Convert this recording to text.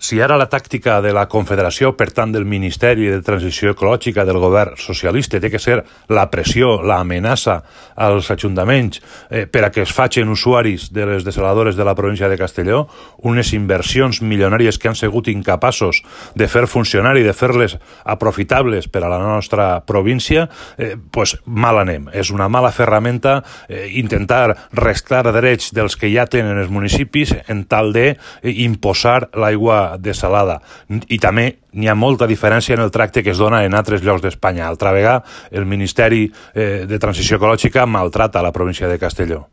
Si ara la tàctica de la Confederació, per tant del Ministeri de Transició Ecològica del govern socialista, té que ser la pressió, l'amenaça als ajuntaments per a que es facin usuaris de les dessaladores de la província de Castelló, unes inversions milionàries que han sigut incapaços de fer funcionar i de fer-les aprofitables per a la nostra província, pues mal anem. És una mala ferramenta intentar restar drets dels que ja tenen els municipis en tal de imposar l'aigua dessalada. I també n'hi ha molta diferència en el tracte que es dona en altres llocs d'Espanya. Altra vegada, el Ministeri de Transició Ecològica maltrata la província de Castelló.